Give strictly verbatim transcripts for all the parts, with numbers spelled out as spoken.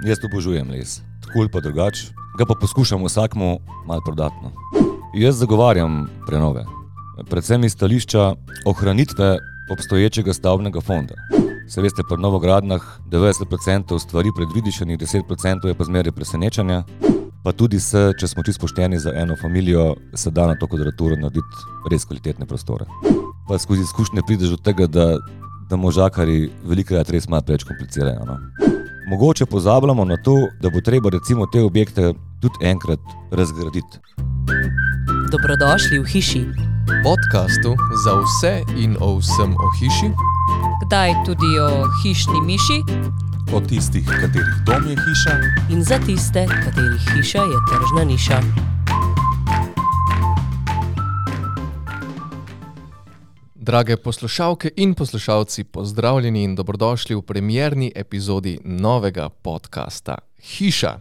jaz obožujem les, tako ali pa drugače, ga pa poskušam vsakmu malo prodatno. Jaz zagovarjam prenove, predvsem iz stališča ohranitve obstoječega stavbnega fonda. Se veste, pri novogradnjah devetdeset procentov stvari predvidišenih, deset procentov je pa zmeraj presenečanja, pa tudi se, če smo čisto pošteni za eno familijo, se da na to kvadraturo narediti res kvalitetne prostore. Pa skozi izkušnje prideš do tega, da, da možakari velikokrat res malo preveč komplicirajo. No? Mogoče pozabljamo na to, da bo treba recimo te objekte tudi enkrat razgraditi. Dobrodošli v hiši. Podcastu za vse in o vsem o hiši. Kdaj tudi o hišni miši. O tistih, katerih dom je hiša. In za tiste, katerih hiša je tržna niša. Drage poslušalke in poslušalci, pozdravljeni in dobrodošli v premierni epizodi novega podcasta Hiša.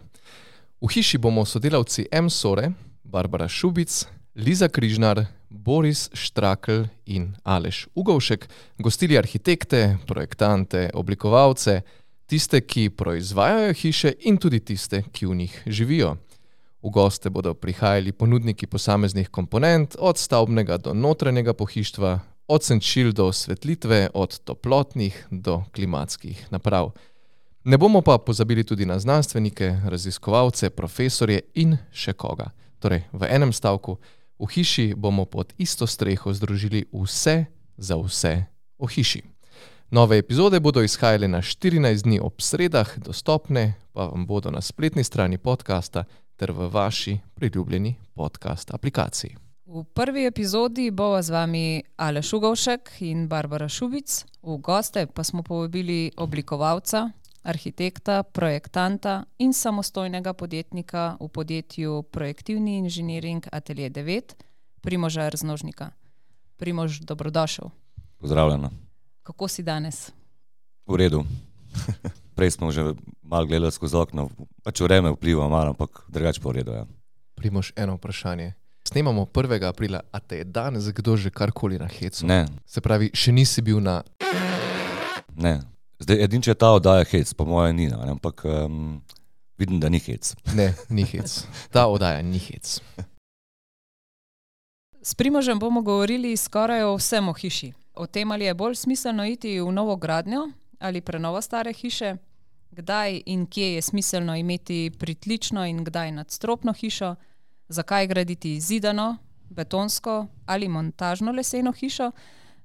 V hiši bomo sodelavci M-Sore, Barbara Šubic, Liza Križnar, Boris Štrakl in Aleš Ugovšek gostili arhitekte, projektante, oblikovalce, tiste, ki proizvajajo hiše in tudi tiste, ki v njih živijo. V goste bodo prihajali ponudniki posameznih komponent, od stavbnega do notranjega pohištva, od senčil do osvetlitve, od toplotnih do klimatskih naprav. Ne bomo pa pozabili tudi na znanstvenike, raziskovalce, profesorje in še koga. Torej, v enem stavku, v hiši bomo pod isto streho združili vse za vse o hiši. Nove epizode bodo izhajale na štirinajst dni ob sredah, dostopne pa vam bodo na spletni strani podcasta ter v vaši priljubljeni podcast aplikaciji. V prvi epizodi bova z vami Aleš Ugovšek in Barbara Šubic. V goste pa smo povabili oblikovalca, arhitekta, projektanta in samostojnega podjetnika v podjetju Projektivni inženiring Atelje devet, Primoža Raznožnika. Primož, dobrodošel. Pozdravljena. Kako si danes? V redu. Prej smo že malo gledali skozi okno, pač vreme vpliva malo, ampak drugače pa v redu, ja. Primož, eno vprašanje. Snemamo prvega aprila, a te je danes kdo že karkoli na hecu? Ne. Se pravi, še nisi bil na... Ne. Zdaj, edin, če ta oddaja hec, po moje ni, ne? Ampak um, vidim, da ni hec. Ne, ni hec. Ta oddaja ni hec. S Primožem bomo govorili skoraj o vsem o hiši. O tem, ali je bolj smiselno iti v novo gradnjo ali prenovo stare hiše, kdaj in kje je smiselno imeti pritlično in kdaj nadstropno hišo, zakaj graditi zidano, betonsko ali montažno leseno hišo,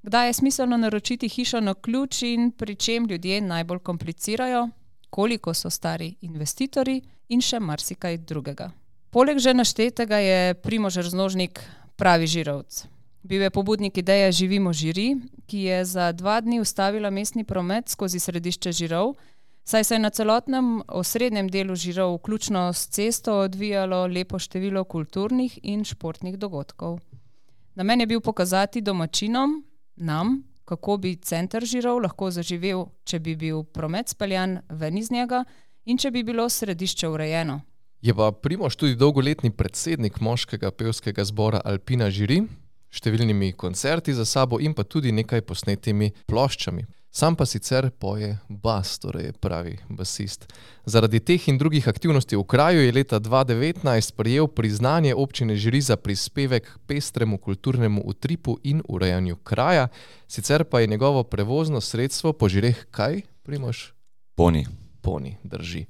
kdaj je smiselno naročiti hišo na ključ in pri čem ljudje najbolj komplicirajo, koliko so stari investitorji in še marsikaj drugega. Poleg že naštetega je Primož Raznožnik pravi žirovc. Bil je pobudnik ideje Živimo Žiri, ki je za dva dni ustavila mestni promet skozi središče Žirov, saj se je na celotnem osrednjem delu Žirov, vključno s cesto, odvijalo lepo število kulturnih in športnih dogodkov. Namen je bil pokazati domačinom, nam, kako bi center Žirov lahko zaživel, če bi bil promet speljan ven iz njega in če bi bilo središče urejeno. Je pa Primož tudi dolgoletni predsednik moškega pevskega zbora Alpina Žiri, številnimi koncerti za sabo in pa tudi nekaj posnetimi ploščami. Sam pa sicer poje bas, torej pravi basist. Zaradi teh in drugih aktivnosti v kraju je leta dva tisoč devetnajst prejel priznanje občine Žiri za prispevek k pestremu kulturnemu utripu in urejanju kraja, sicer pa je njegovo prevozno sredstvo po Žireh kaj, Primož? Poni. Poni, drži.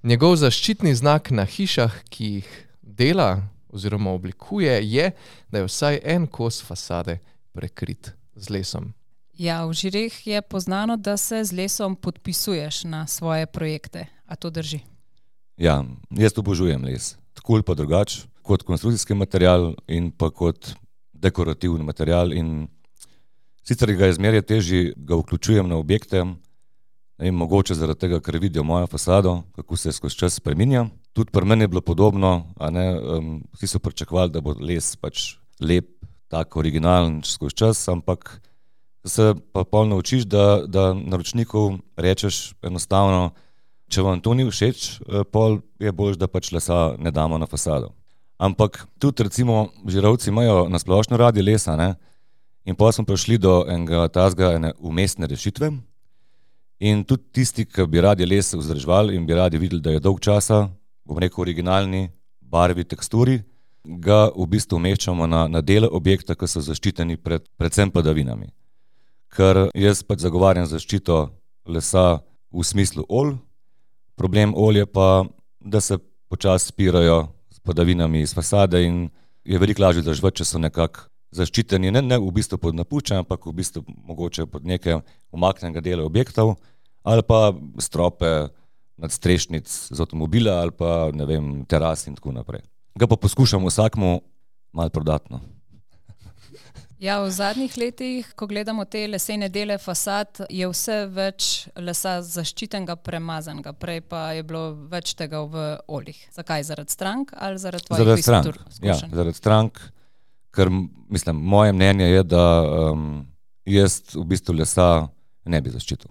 Njegov zaščitni znak na hišah, ki jih dela oziroma oblikuje, je, da je vsaj en kos fasade prekrit z lesom. Ja, v Žireh je poznano, da se z lesom podpisuješ na svoje projekte. A to drži? Ja, jaz obožujem les. Tako ali pa drugače, kot konstrukcijski material in pa kot dekorativni material. In sicer ga je zmeraj težje, ga vključujem na objekte, in mogoče zaradi tega, ker vidijo mojo fasado, kako se skozi čas spreminja. Tudi pri meni je bilo podobno, a ne, um, vsi so pričakovali, da bo les pač lep, tak originalen skozi čas, ampak se pa pol naučiš, da, da naročnikov rečeš enostavno, če vam to ni všeč, pol je boljš, da pač lesa ne damo na fasado. Ampak tudi recimo Žirovci imajo na splošno radi lesa, ne? In potem smo prišli do enega tazga ene umestne rešitve In tudi tisti, ki bi radi les vzdrževali in bi radi videli, da je dolg časa, bom rekel, originalni barvi, teksturi, ga v bistvu umeščamo na, na dele objekta, ki so zaščiteni pred predvsem padavinami. Ker jaz pač zagovarjam zaščito lesa v smislu olj, problem olj je pa, da se počasi spirajo s padavinami iz fasade in je veliko lažje vzdrževati, če so nekako zaščiteni, ne, ne v bistvu pod napuščajem, ampak v bistvu mogoče pod nekaj umaknjenega dela objektov ali pa strope nadstrešnic z avtomobila ali pa, ne vem, teras in tako naprej. Ga pa poskušamo vsakmu malo prodatno. Ja, v zadnjih letih, ko gledamo te lesene dele fasad, je vse več lesa zaščitenega, premazanega. Prej pa je bilo več tega v oljih. Zakaj? Zaradi strank ali zaradi tvojih Zaradi strank, izkušenj? ja, zaradi strank, ker mislim, moje mnenje je, da um, jaz v bistvu lesa ne bi zaščitil.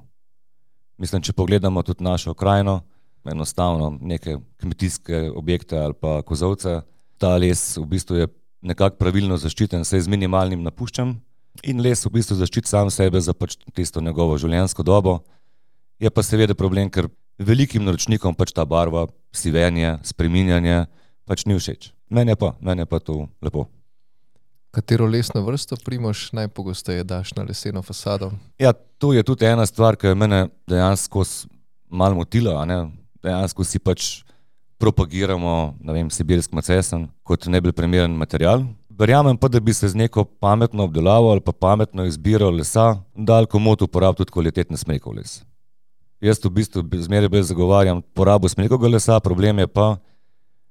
Mislim, če pogledamo tudi našo krajino, enostavno neke kmetijske objekte ali pa kozovce, ta les v bistvu je nekako pravilno zaščiten, se z minimalnim napuščam in les v bistvu zaščiti sam sebe za pač tisto njegovo življenjsko dobo. Je pa seveda problem, ker velikim naročnikom pač ta barva, sivenje, spreminjanje pač ni všeč. Meni je pa, meni je pa to lepo. Katero lesno vrsto, Primož, najpogosteje daš na leseno fasado? Ja, to je tudi ena stvar, ki je mene dejansko malo motila, a ne? Dejansko si pač propagiramo, ne vem, sibirski macesen kot najbolj primeren material. Verjamem pa, da bi se z neko pametno obdelavo ali pa pametno izbiro lesa dal komot uporabiti tudi kvalitetni smrekov les. Jaz v bistvu zmeraj bolj zagovarjam porabo smrekovega lesa, problem je pa,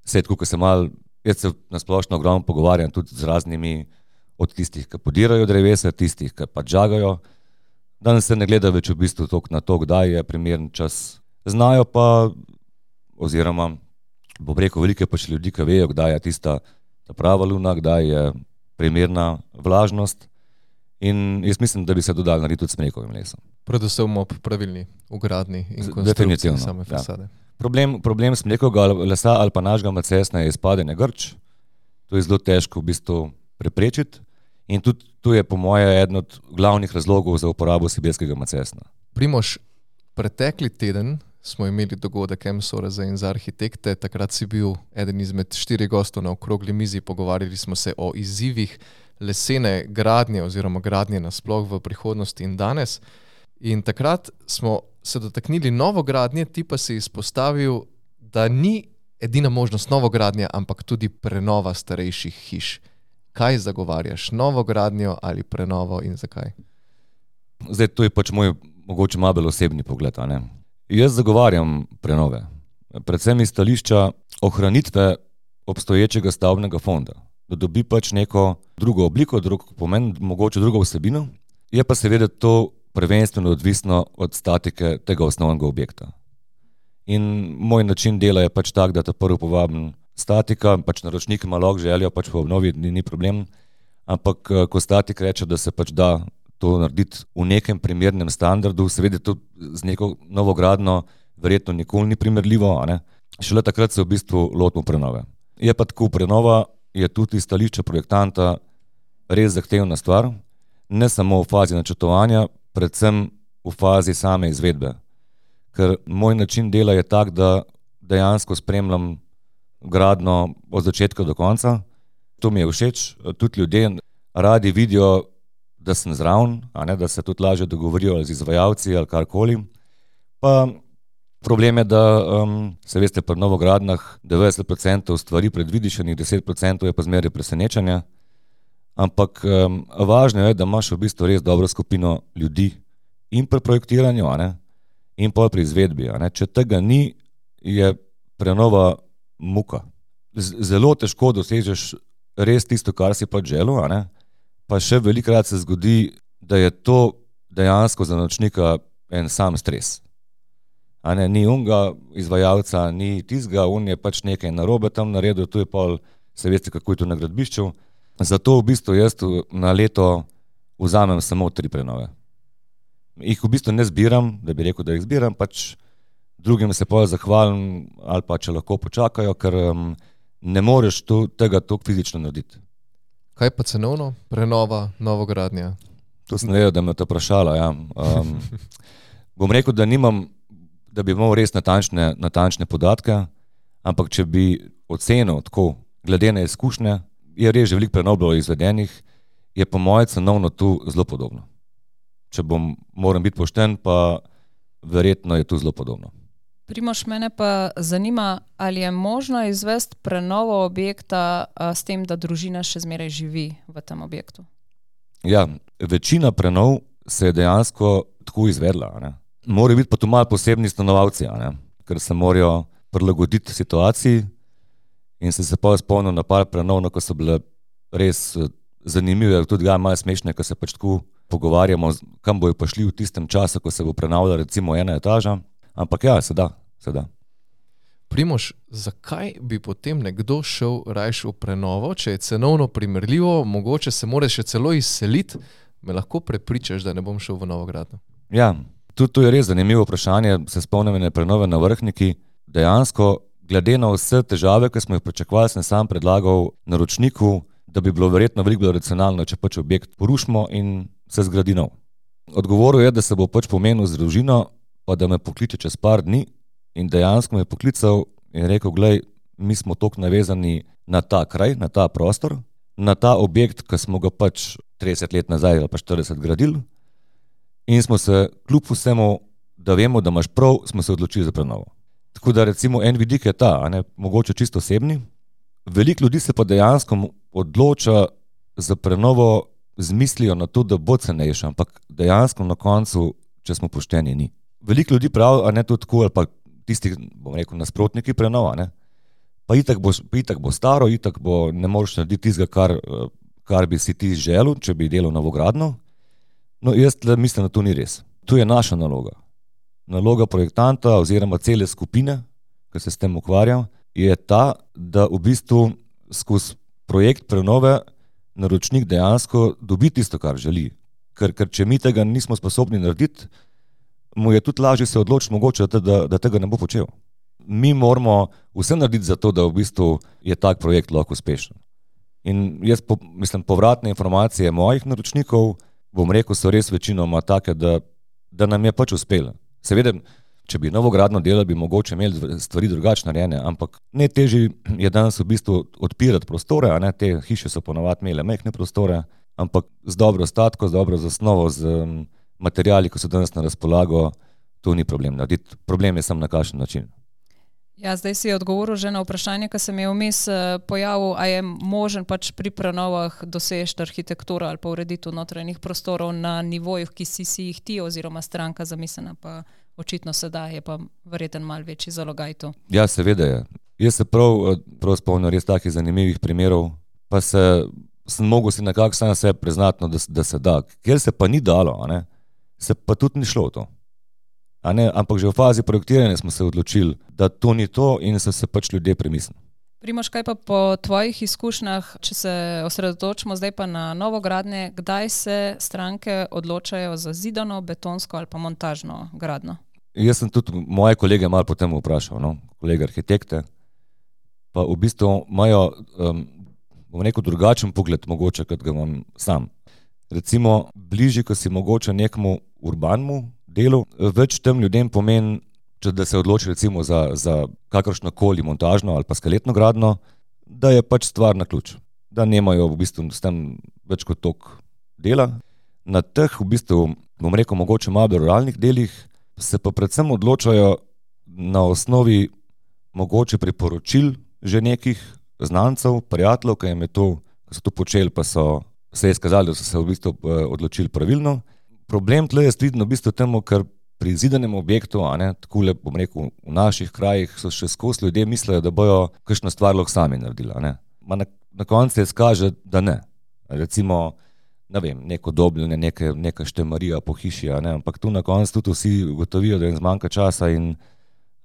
saj tako, ko se malo, jaz se na splošno ogromno pogovarjam tudi z raznimi od tistih, ki podirajo drevesa, tistih, ki pa žagajo. Danes se ne gleda več v bistvu toliko na to, kdaj je primeren čas. Znajo pa, oziroma bom rekel, veliko je pač ljudi, ki vejo, kdaj je tista ta prava luna, kdaj je primerna vlažnost in jaz mislim, da bi se dodali narediti tudi s smrekovim lesom. Predvsem ob pravilni ugradni in konstrukciji same fasade. Ja. Problem, problem smrekovega lesa ali pa našega macesna je izpadanje grč. To je zelo težko v bistvu preprečiti in tudi to je po moje eden od glavnih razlogov za uporabo sibirskega macesna. Primož, pretekli teden smo imeli dogodek Emsoreza in za arhitekte. Takrat si bil eden izmed štirih gostov na okrogli mizi, pogovarjali smo se o izzivih lesene gradnje oziroma gradnje nasploh v prihodnosti in danes. In takrat smo se dotaknili novogradnje, ti pa si izpostavil, da ni edina možnost novogradnja, ampak tudi prenova starejših hiš. Kaj zagovarjaš? Novogradnjo ali prenovo in zakaj? Zdaj, to je pač moj mogoče malo bolj osebni pogled, a ne? Jaz zagovarjam prenove, predvsem iz stališča ohranitve obstoječega stavbnega fonda, da dobi pač neko drugo obliko, drug pomen, mogoče drugo vsebino, je pa seveda to prvenstveno odvisno od statike tega osnovnega objekta. In moj način dela je pač tak, da ta prvo povabim statika, pač naročnik ima lahko željo, pač po obnovi ni, ni problem, ampak ko statik reče, da se pač da to narediti v nekem primernem standardu, seveda to z neko novogradno verjetno nikoli ni primerljivo, a ne? Šele takrat se v bistvu lotimo prenove. Je pa tako, prenova je tudi iz stališča projektanta res zahtevna stvar, ne samo v fazi načrtovanja, predvsem v fazi same izvedbe. Ker moj način dela je tak, da dejansko spremljam gradnjo od začetka do konca. To mi je všeč, tudi ljudje radi vidijo, da sem zraven, a ne, da se tudi lažje dogovorijo z izvajalci ali karkoli. Pa problem je, da um, se veste, pri novogradnjah devetdeset procentov stvari predvidiš, deset procentov je pa zmeraj presenečenja. Ampak um, važno je, da imaš v bistvu res dobro skupino ljudi in pri projektiranju, a ne, in pa pri izvedbi. A ne. Če tega ni, je prenova muka. Z- zelo težko dosežeš res tisto, kar si pač želel, a ne. Pa še velikokrat se zgodi, da je to dejansko za naročnika en sam stres. A ne, ni unga izvajalca, ni tizga, un je pač nekaj narobe tam naredil, to je pol, se veste, kako je to na gradbišču. Zato v bistvu jaz na leto vzamem samo tri prenove. Ih v bistvu ne zbiram, da bi rekel, da jih zbiram, pač drugim se pol zahvalim ali pa če lahko počakajo, ker um, ne moreš to, tega toliko fizično narediti. Kaj pa cenovno? Prenova, novogradnja? To sem vedel, da me to vprašala, ja. Um, bom rekel, da nimam, da bi imel res natančne, natančne podatke, ampak če bi ocenil tako, glede na izkušnje, je res že veliko prenov bilo izvedenih, je po moje cenovno tu zelo podobno. Če bom, moram biti pošten, pa verjetno je tu zelo podobno. Primož, mene pa zanima, ali je možno izvesti prenovo objekta a, s tem, da družina še zmeraj živi v tem objektu? Ja, večina prenov se je dejansko tako izvedla. Ne. Morajo biti pa tu malo posebni stanovalci, ne, ker se morajo prilagoditi situaciji in se se pa spomnil na par prenov, no, ko so bile res zanimive, tudi ga malo smešne, ko se pač tako pogovarjamo, kam bojo pa šli v tistem času, ko se bo prenavljala recimo ena etaža. Ampak ja, se da, se da. Primož, zakaj bi potem nekdo šel rajš v prenovo, če je cenovno primerljivo, mogoče se mora še celo izseliti, me lahko prepričaš, da ne bom šel v novogradnjo? Ja, tudi to je res zanimivo vprašanje, se spomnim na prenove na Vrhniki. Dejansko, glede na vse težave, ki smo jih pričakovali, sem sam predlagal naročniku, da bi bilo verjetno veliko bolj racionalno, če pač objekt porušimo in se zgradi nov. Odgovoril je, da se bo pač pomenil z družino, pa da me pokliče čez par dni, in dejansko me je poklical in rekel, glej, mi smo toliko navezani na ta kraj, na ta prostor, na ta objekt, ki smo ga pač trideset let nazaj ali pa štirideset gradili, in smo se kljub vsemu, da vemo, da imaš prav, smo se odločili za prenovo. Tako da recimo en vidik je ta, a ne, mogoče čisto osebni. Veliko ljudi se pa dejansko odloča za prenovo z mislijo na to, da bo cenejša, ampak dejansko na koncu, če smo pošteni, ni. Veliko ljudi pravi, a ne tudi tako, ali pa tisti, bom rekel, nasprotniki prenova, ne, pa itak bo, itak bo staro, itak bo, ne moreš narediti tistega, kar, kar bi si ti želel, če bi delal novogradnjo. No, jaz mislim, da to ni res. To je naša naloga. Naloga projektanta oziroma cele skupine, ki se s tem ukvarja, je ta, da v bistvu skozi projekt prenove naročnik dejansko dobi tisto, kar želi. Ker, ker če mi tega nismo sposobni narediti, mu je tudi lažje se odločiti mogoče, da, da tega ne bo počel. Mi moramo vse narediti za to, da v bistvu je tak projekt lahko uspešen. In jaz po, mislim, povratne informacije mojih naročnikov, bom rekel, so res večinoma take, da, da nam je pač uspelo. Seveda, če bi novogradnjo delali, bi mogoče imeli stvari drugače narejene, ampak najtežje je danes v bistvu odpirati prostore, a ne, te hiše so ponovadi imele majhne prostore, ampak z dobro statko, z dobro zasnovo, z materiali, ko so danes na razpolago, to ni problem narediti. Problem je samo na kakšen način. Ja, zdaj si odgovoril že na vprašanje, ki se mi je vmes pojavil, a je možen pač pri prenovah dosežeti arhitekturo ali pa ureditev notranjih prostorov na nivojih, ki si si jih ti oziroma stranka zamislena, pa očitno se da, je pa verjeten malo večji zalogaj to. Ja, seveda je. Jaz se prav, prav spomnim res takih zanimivih primerov, pa se, sem mogel si nekako sam sebe priznati, no, da, da se da. Ker se pa ni dalo, a ne, se pa tudi ni šlo to. A ne, ampak že v fazi projektiranja smo se odločili, da to ni to in so se pač ljudje premislili. Primož, kaj pa po tvojih izkušnjah, če se osredotočimo zdaj pa na novogradnje, kdaj se stranke odločajo za zidano, betonsko ali pa montažno gradnjo? Jaz sem tudi moje kolege malo potem vprašal, no, kolege arhitekte, pa v bistvu imajo, um, bom rekel, drugačen pogled mogoče, kot ga imam sam. Recimo, bližje, ko si mogoče nekemu urbanemu delu, več tem ljudem pomeni, če da se odloči recimo za, za kakršnokoli montažno ali pa skeletno gradnjo, da je pač stvar na ključ. Da nemajo v bistvu s tem več kot toliko dela. Na teh v bistvu, bom rekel, mogoče malo ruralnih delih se pa predvsem odločajo na osnovi mogoče priporočil že nekih znancev, prijateljev, ki jim je to, ki so to počeli, pa so se izkazali, da so se v bistvu odločili pravilno. Problem tle je vidno v bistvu temu, ker pri zidanem objektu, a ne, takole, bom rekel, v naših krajih so še skozi ljudje mislijo, da bojo kakšno stvar lahko sami naredili, a ne. Ma na, na koncu se izkaže, da ne. Recimo, ne vem, neko dobljenje, neke, neka štemarija po hiši, a ne, ampak tu na koncu tudi vsi ugotovijo, da jim zmanjka časa in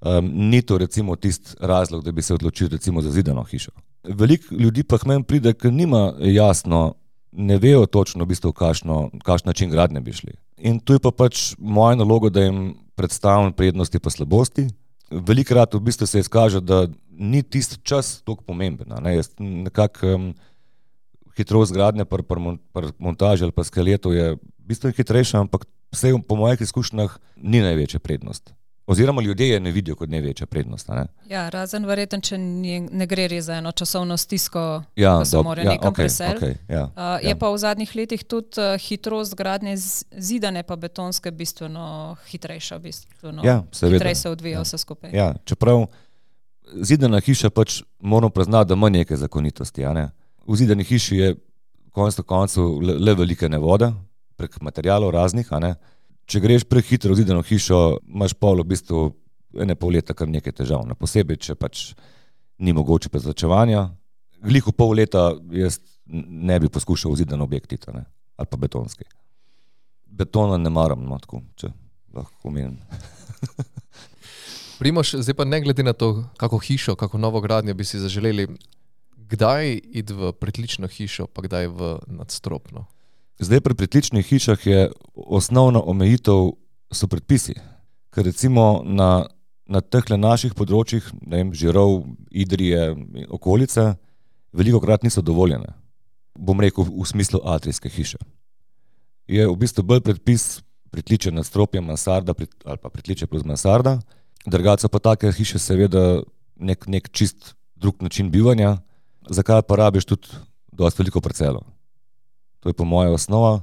um, ni to recimo tisti razlog, da bi se odločili recimo za zidano hišo. Veliko ljudi pa k meni pride, ker nima jasno, ne vejo točno v bistvu, kakšen način gradnje bi šli. In tu je pa pač moja naloga, da jim predstavim prednosti pa slabosti. Velikokrat v bistvu se izkaže, da ni tisti čas toliko pomemben. Ne? Nekako um, hitrost gradnje pri pr, pr montaži ali pa skeletu je bistveno hitrejša, ampak vse po mojih izkušnjah ni največja prednost. Oziroma ljudje je ne vidijo kot največja prednost. Ne? Ja, razen verjetno, če ne, ne gre res za eno časovno stisko, ja, ko se dob, morajo ja, nekam okay, preseliti. Okay, ja, uh, je ja. pa v zadnjih letih tudi uh, hitrost gradnje zidane pa betonske bistveno hitrejša, bistveno ja, hitreje se odvija ja. vse skupaj. Ja, čeprav zidana hiša pač moramo priznati, da ima neke zakonitosti. A ne? V zidani hiši je konec na koncu le, le velike nevode, prek materialov raznih, a ne. Če greš prehitro v zidano hišo, imaš pol v bistvu ene pol leta kar nekaj težav. Na posebej, če pač ni mogoče prezračevanja. Glih v pol leta jaz ne bi poskušal v zidan objekt iti, ne, ali pa betonski. Betona ne maram, no, tako, če lahko omenim. Primož, zdaj pa ne glede na to, kako hišo, kako novogradnjo bi si zaželeli, kdaj iti v pritlično hišo, pa kdaj v nadstropno? Zdaj pri pritličnih hišah je osnovna omejitev so predpisi, ker recimo na, na tehle naših področjih, ne vem, Žirov, Idrije, okolice, velikokrat niso dovoljene. Bom rekel v smislu atrijske hiše. Je v bistvu bolj predpis pritliče nadstropje mansarda ali pa pritliče plus mansarda, drugače pa take hiše seveda nek, nek čist drug način bivanja, zakaj pa rabiš tudi dosti veliko parcelo. To je po moje osnova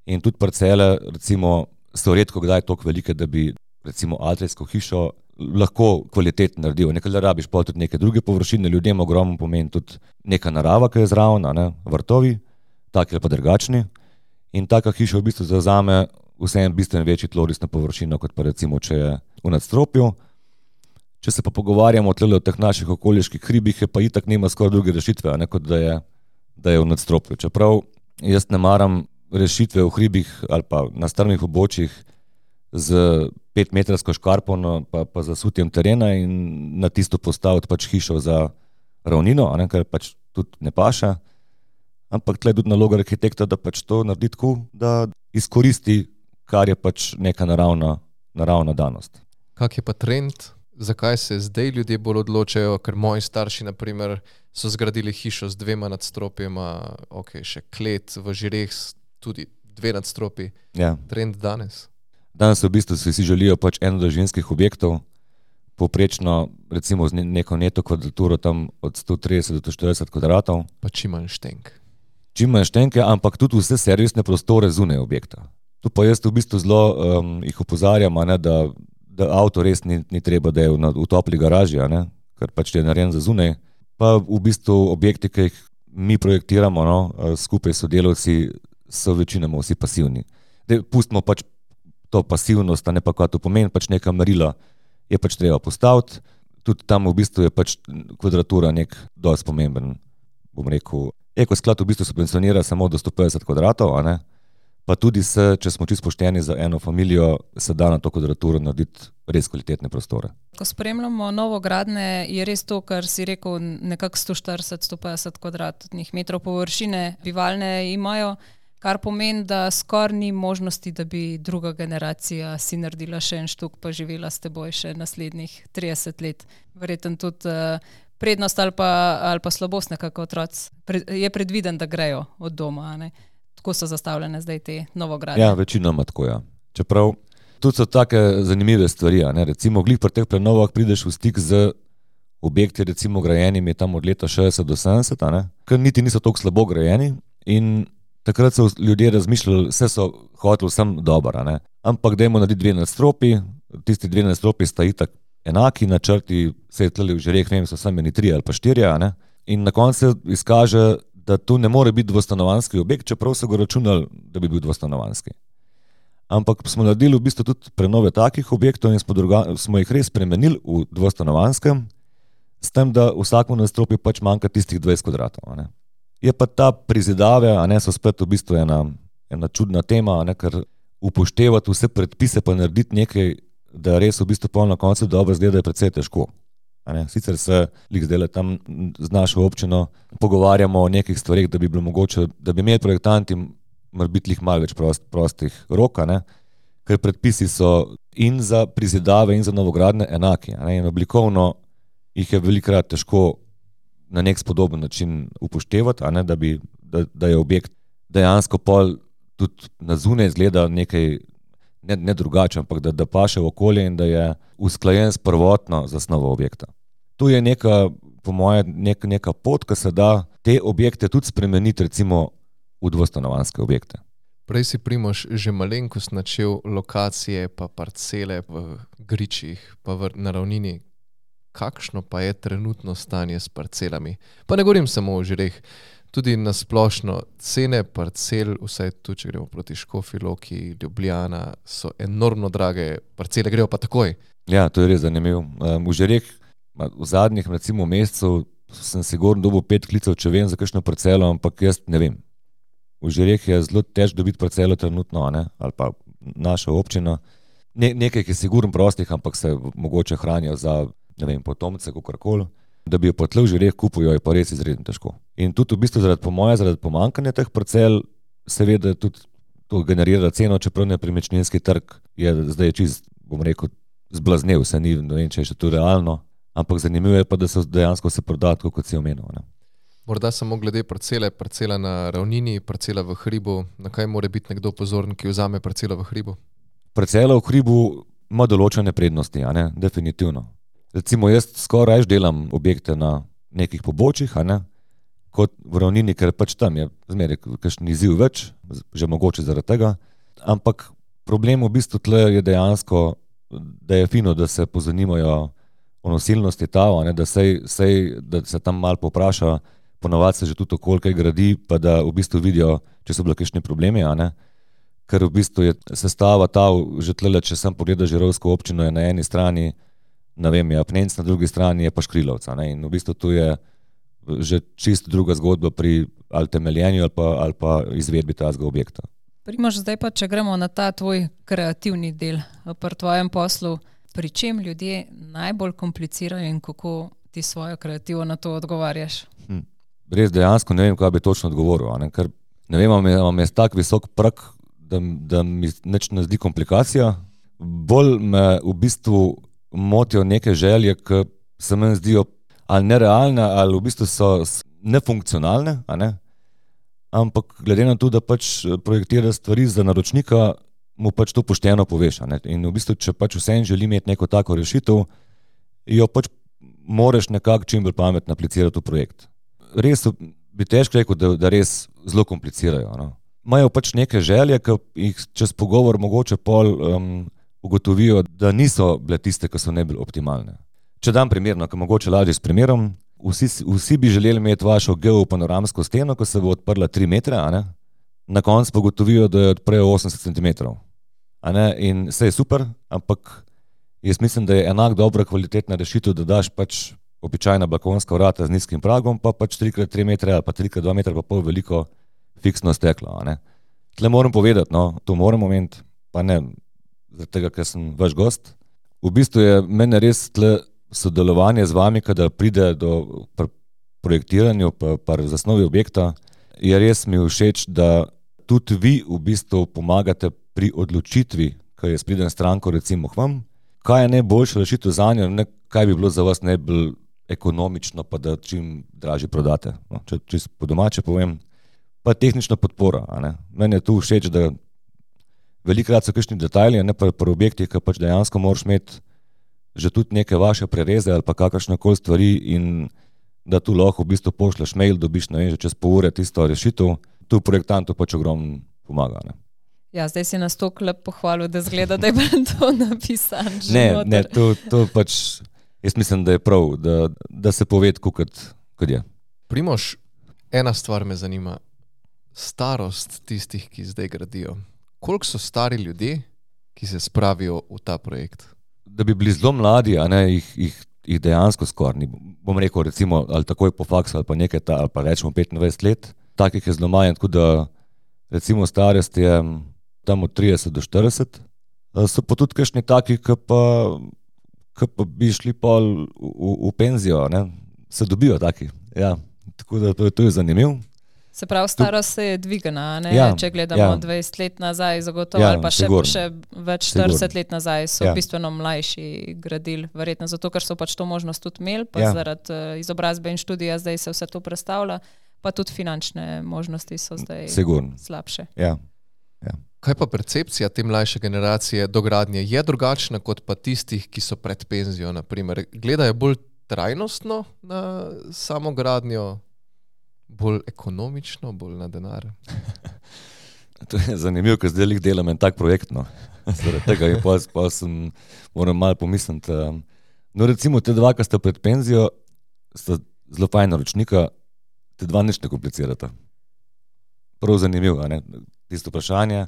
in tudi parcele recimo so redko kdaj toliko velike, da bi recimo atrijsko hišo lahko kvalitetno naredil. Nekaj da rabiš pa tudi neke druge površine, ljudem ogromno pomeni tudi neka narava, ki je zraven, ne, vrtovi, taki ali pa drugačni. In taka hiša v bistvu zavzame vseeno bistveno večji tlorisno površino, kot pa recimo, če je v nadstropju. Če se pa pogovarjamo tle o teh naših okoliških hribih, je pa itak nema skoraj druge rešitve, ne, kot da je, da je v nadstropju. Čeprav jaz ne maram rešitve v hribih ali pa na strmih območjih z petmetrsko škarpo pa, pa zasutjem terena in na tisto postaviti pač hišo za ravnino, a ne, kar pač tudi ne paše. Ampak tle je tudi naloga arhitekta, da pač to naredi tako, da izkoristi, kar je pač neka naravna, naravna danost. Kak je pa trend? Zakaj se zdaj ljudje bolj odločajo? Ker moji starši, na primer, so zgradili hišo z dvema nadstropjema, ok, še klet, v Žireh tudi dve nadstropji. Ja. Trend danes? Danes v bistvu si želijo pač enodružinskih objektov, povprečno recimo z neko neto kvadraturo tam od sto trideset do štirideset kvadratov. Pa čim manj štenk. Čim manj štenke, ampak tudi vse servisne prostore zunaj objekta. Tu pa jaz v bistvu zelo um, jih opozarjam, a ne, da da avto res ni, ni treba, da je v, v topli garaži, ne? Ker pač je narejen za zunaj. Pa v bistvu objekti, ki jih mi projektiramo, no, skupaj s sodelavci, so večinoma vsi pasivni. Dej, pustimo pač to pasivnost, a ne pa kaj to pomeni, pač neka merila je pač treba postaviti. Tudi tam v bistvu je pač kvadratura nek dosti pomemben, bom rekel. Ekosklad v bistvu subvencionira samo do sto petdeset kvadratov, a ne? Pa tudi se, če smo čisto pošteni za eno familijo, se da na to kvadraturo narediti res kvalitetne prostore. Ko spremljamo novogradnje, je res to, kar si rekel, nekako sto štirideset do sto petdeset kvadratnih metrov površine bivalne imajo, kar pomeni, da skoraj ni možnosti, da bi druga generacija si naredila še en štuk, pa živela s teboj še naslednjih trideset let. Verjetno tudi prednost ali pa, ali pa slabost nekako otroci je predviden, da grejo od doma, a ne? Tako so zastavljene zdaj te novogradnje. Ja, večinoma tako, ja. Čeprav tudi so take zanimive stvari, a ne. Recimo glih pri teh prenovah prideš v stik z objekti, recimo grajenimi tam od leta šestdeset do sedemdeset, a ne, ker niti niso toliko slabo grajeni in takrat so ljudje razmišljali, vse so hoteli vsem dobro, a ne. Ampak dajmo narediti dve nadstropji, tisti dve nadstropji sta itak enaki, načrti se je tleli v Žireh, ne vem, so samo eni tri ali pa štirje, a ne. In na koncu se izkaže, da tu ne more biti dvostanovanjski objekt, čeprav so ga računali, da bi bil dvostanovanjski. Ampak smo naredili v bistvu tudi prenove takih objektov in smo, druga, smo jih res spremenili v dvostanovanjskem, s tem, da vsakemu nadstropju pač manjka tistih dvajset kvadratov. A ne. Je pa ta prizidave, a ne, so spet v bistvu ena, ena čudna tema, a ne, ker upoštevati vse predpise pa narediti nekaj, da res v bistvu pol na koncu dobro izgleda, je precej težko. Ne, sicer se lik zdaj tam z našo občino pogovarjamo o nekih stvarih, da bi bilo mogoče, da bi imeli projektanti mora biti lih malo več prost, prostih rok, ne, ker predpisi so in za prizidave in za novogradnje enaki, ne, in oblikovno jih je velikokrat težko na nek spodoben način upoštevati, a ne, da, bi, da, da je objekt dejansko pol tudi na zunaj izgleda nekaj, ne, ne drugače, ampak da, da paše v okolje in da je usklajen s prvotno zasnovo objekta. Tu je neka, po moje, nek, neka pot, ki se da te objekte tudi spremeniti recimo v dvostanovanjske objekte. Prej si Primož že malenkost načel lokacije pa parcele v gričih pa v, na ravnini. Kakšno pa je trenutno stanje s parcelami? Pa ne govorim samo o Žireh, tudi na splošno cene parcel, vsaj tu, če gremo proti Škofji Loki, Ljubljana, so enormno drage, parcele grejo pa takoj. Ja, to je res zanimivo. Um, v Žireh v zadnjih recimo mesecev sem sigurno dobil pet klicev, če vem za kakšno parcelo, ampak jaz ne vem. V Žireh je zelo težko dobiti parcelo trenutno, ne? Ali pa naša občina. Ne, nekaj je sigurno prostih, ampak se mogoče hranijo za, ne vem, potomce, kakorkoli. Da bi jo potle v Žireh kupil, je pa res izredno težko. In tudi v bistvu zaradi, po moje, zaradi pomankanja teh parcel, seveda tudi to generira ceno, čeprav nepremičninski trg je zdaj čist, bom rekel, zblaznev, se ni, ne vem, če je še to realno, ampak zanimivo je pa, da se dejansko se proda tako, kot si omenil, ne. Morda samo glede parcele, parcela na ravnini, parcela v hribu, na kaj mora biti nekdo pozoren, ki vzame parcelo v hribu? Parcela v hribu ima določene prednosti, a ne, definitivno. Recimo jaz skoraj delam objekte na nekih pobočjih, a ne, kot v ravnini, ker pač tam je zmeraj kakšen izziv več, že mogoče zaradi tega, ampak problem v bistvu tle je dejansko, da je fino, da se pozanimajo o nosilnosti tava, ne, da, sej, sej, da se tam malo popraša, ponavadi se že tudi okolj kaj gradi, pa da v bistvu vidijo, če so bile kakšni problemi, a ne, ker v bistvu je sestava tav, že tlele, če sem pogledal Žirovsko občino, je na eni strani, ne vem, je Apnenc, na drugi strani je pa Škrilovca, ne, in v bistvu tu je že čisto druga zgodba pri ali temeljenju ali pa, ali pa izvedbi tazga objekta. Primož, zdaj pa, če gremo na ta tvoj kreativni del pri tvojem poslu, pri čem ljudje najbolj komplicirajo in kako ti svojo kreativo na to odgovarjaš? Hm. Res dejansko ne vem, kaj bi točno odgovoril, ne? Ker ne vem, imam jaz tak visok prag, da, da mi nič ne zdi komplikacija. Bolj me v bistvu motijo neke želje, ki se meni zdijo ali nerealne, ali v bistvu so nefunkcionalne, a ne? Ampak glede na to, da pač projektira stvari za naročnika, mu pač to pošteno poveš, a ne? In v bistvu, če pač vseeno želi imeti neko tako rešitev, jo pač moraš nekako čim bolj pametno aplicirati v projekt. Res bi težko rekel, da, da res zelo komplicirajo, no? Imajo pač neke želje, ki jih čez pogovor mogoče pol um, ugotovijo, da niso bile tiste, ki so najbolj optimalne. Če dam primerno, ki mogoče lažje s primerom, vsi, vsi bi želeli imeti vašo geopanoramsko steno, ko se bo odprla tri metre, a ne? Na koncu pa ugotovijo, da jo odprejo osemdeset centimetrov. A ne? In vse je super, ampak jaz mislim, da je enak dobra kvalitetna rešitev, da daš pač običajna balkonska vrata z nizkim pragom, pa pač tri krat tri metre ali pa tri krat dva metra pa pol veliko fiksno steklo, a ne. Tle moram povedati, no, to moram omeniti, pa ne, zaradi tega, ker sem vaš gost. V bistvu je mene res tle sodelovanje z vami, kada pride do projektiranja pa, pa zasnovi objekta, je res mi všeč, da tudi vi v bistvu pomagate pri odločitvi, ko jaz pridem stranko recimo k vam, kaj je najboljša rešitev za njo, ne kaj bi bilo za vas najbolj ekonomično, pa da čim dražje prodate. No, če, če po domače povem, pa tehnična podpora, a ne. Meni je tu všeč, da velikokrat so kakšni detajli, ne pa pri objektih, ki pač dejansko moraš imeti že tudi neke vaše prereze ali pa kakršnekoli stvari in da tu lahko v bistvu pošleš mail, dobiš, ne vem, že čez pol ure tisto rešitev, tu projektantu pač ogromno pomaga, ne. Ja, zdaj si nas toliko lep pohvalil, da zgleda, da je bilo to napisano že Ne, noter. ne, to, to pač, jaz mislim, da je prav, da, da se pove tako, kot, kot je. Primož, ena stvar me zanima. Starost tistih, ki zdaj gradijo. Koliko so stari ljudje, ki se spravijo v ta projekt? Da bi bili zelo mladi, a ne, jih, jih, jih dejansko skoraj ni. Bom rekel, recimo, ali takoj po faksu, ali pa nekaj, ta, ali pa rečemo petindvajset let, takih je zelo manj, tako da recimo starost je tam od trideset do štirideset. So pa tudi kakšni taki, ki pa, ki pa bi šli pol v, v, v penzijo, ne, se dobijo taki, ja. Tako da to, to je zanimivo. Se pravi, starost se je dvigana, ne? Ja, Če gledamo ja. dvajset let nazaj, zagotovo, Ja, ali pa še, sigurno. še več štirideset let nazaj so Ja. bistveno mlajši gradili, verjetno zato, ker so pač to možnost tudi imeli, pa Ja. zaradi uh, izobrazbe in študija zdaj se vse to predstavlja, pa tudi finančne možnosti so zdaj Sigurno. slabše. Ja. Kaj pa percepcija te mlajše generacije do gradnje je drugačna kot pa tistih, ki so pred penzijo, naprimer? Gledajo bolj trajnostno na samo gradnjo, bolj ekonomično, bolj na denar? To je zanimivo, ker zdaj delam en tak projekt, no. Zaradi tega in pa, pa sem, moram malo pomisliti. No, recimo te dva, ki sta pred penzijo, sta zelo fajna ročnika, te dva nič ne komplicirata. Prav zanimivo, ne? Tisto vprašanje,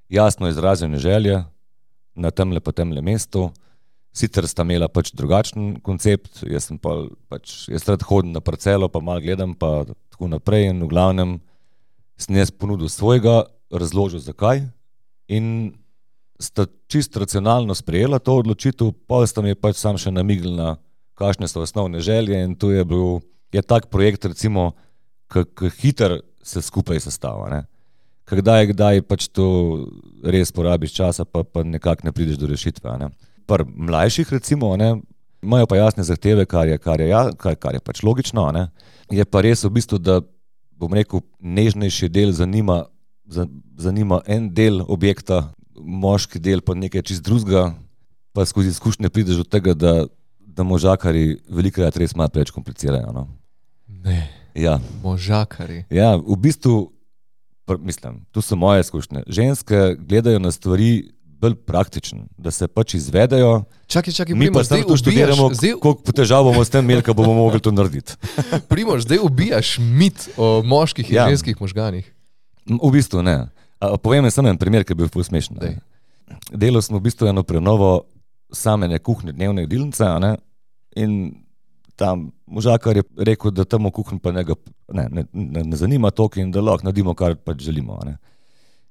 jasno izražene želje na temle pa temle mestu, sicer sta imela pač drugačen koncept, jaz sem pa pač, jaz rad hodim na parcelo, pa malo gledam, pa tako naprej in v glavnem sem jaz ponudil svojega, razložil zakaj in sta čisto racionalno sprejela to odločitev, pa sta mi pač sam še namigli na kakšne so osnovne želje in to je bil, je tak projekt recimo, k hiter se skupaj sestava, ne. Kdaj, kdaj pač to res porabiš časa, pa, pa nekako ne prideš do rešitve, ne. Pri mlajših recimo, ne, imajo pa jasne zahteve, kar je, kar je, kar, kar je pač logično, ne. Je pa res v bistvu, da bom rekel, nežnejši del zanima, zanima en del objekta, moški del pa nekaj čist drugega, pa skozi izkušnje prideš do tega, da, da možakari velikokrat res malo preveč komplicirajo, no. Ne, ja. Možakari. Ja, v bistvu, pr, mislim, tu so moje izkušnje. Ženske gledajo na stvari bolj praktično, da se pač izvedejo. Čakaj, čakaj, mi Primož, pa zdaj tu študiramo, zdaj... koliko težav bomo s tem imeli, ko bomo mogli to narediti. Primož, zdaj ubijaš mit o moških in ja. ženskih možganih. V bistvu ne. A, povem samo en primer, ki je bil ful smešen. Delal smo v bistvu eno prenovo samene kuhne, dnevne jedilnice, ne, in tam možakar je rekel, da tam v kuhni pa njega ne, ne, ne, ne zanima toliko in da lahko naredimo, kar pač želimo. Ne.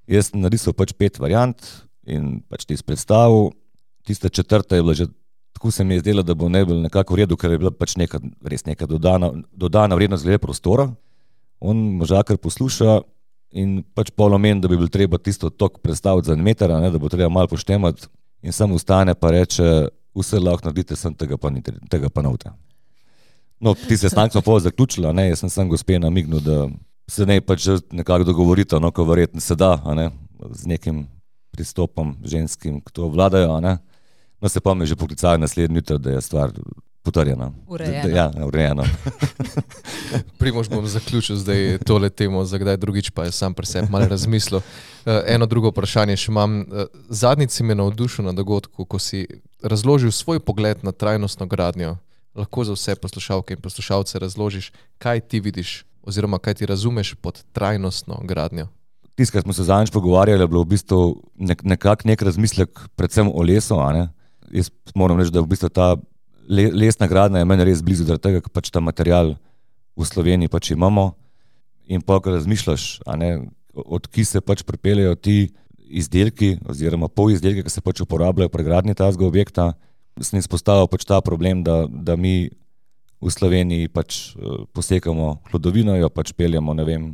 Jaz sem narisal pač pet variant in pač ti predstavil. Tista četrta je bila že, tako se mi je zdela, da bo najbolj nekako v redu, ker je bila pač neka, res neka dodana, dodana vrednost glede prostora. On možakar posluša in pač pol omen, da bi bil treba tisto tok predstaviti za en meter, ne, da bo treba malo poštemati in samo ustane pa reče, vse lahko naredite, sem tega pa, ni, tega pa nauta. No, ti se stank smo pol zaključila, ne, jaz sem sam gospe namignil, da se ne pač nekako dogovorita, no, ko verjetno se da, a ne, z nekim pristopom ženskim, ki to vladajo, a ne. No, se pa mi že poklicali naslednji jutro, da je stvar potrjena. Urejena. Ja, urejena. Primož, bom zaključil zdaj tole temo, za kdaj drugič, pa je sam pri sebi malo razmislil. Eno drugo vprašanje še imam. Zadnjič si me navdušil na dogodku, ko si razložil svoj pogled na trajnostno gradnjo. Lahko za vse poslušalke in poslušalce razložiš, kaj ti vidiš oziroma kaj ti razumeš pod trajnostno gradnjo. Tisto, kar smo se zadnjič pogovarjali, je bilo v bistvu nek, nekak nek razmislek predvsem o lesu, a ne. Jaz moram reči, da v bistvu ta lesna gradnja je meni res blizu, zaradi tega, ker pač ta material v Sloveniji pač imamo in pa, ko razmišljaš, a ne, od ki se pač pripeljejo ti izdelki oziroma pol izdelki, ki se pač uporabljajo pri gradnji tazga objekta, sem izpostavil pač ta problem, da, da mi v Sloveniji pač posekamo hlodovino, jo pač peljemo, ne vem,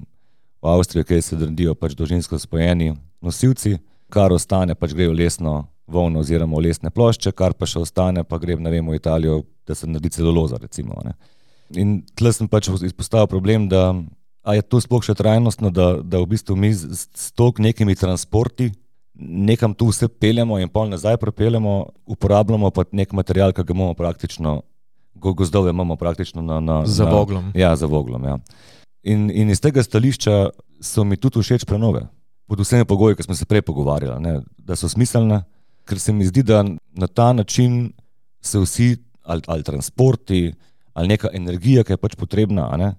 v Avstrijo, kjer se dredijo pač dolžinsko spojeni nosilci, kar ostane pač gre v lesno volno oziroma v lesne plošče, kar pa še ostane pa gre, ne vem, v Italijo, da se naredi celuloza recimo, ne. In tle sem pač izpostavil problem, da a je to sploh še trajnostno, da, da v bistvu mi s, s toliko nekimi transporti nekam tu vse peljemo in pol nazaj prepeljemo, uporabljamo pa nek material, ki ga imamo praktično, gozdove imamo praktično na... na za na, voglom. Ja, za voglom, ja. In, in iz tega stališča so mi tudi všeč prenove, pod vsemi pogoji, ki smo se prej pogovarjali, ne, da so smiselne, ker se mi zdi, da na ta način se vsi, ali, ali transporti, ali neka energija, ki je pač potrebna, a ne,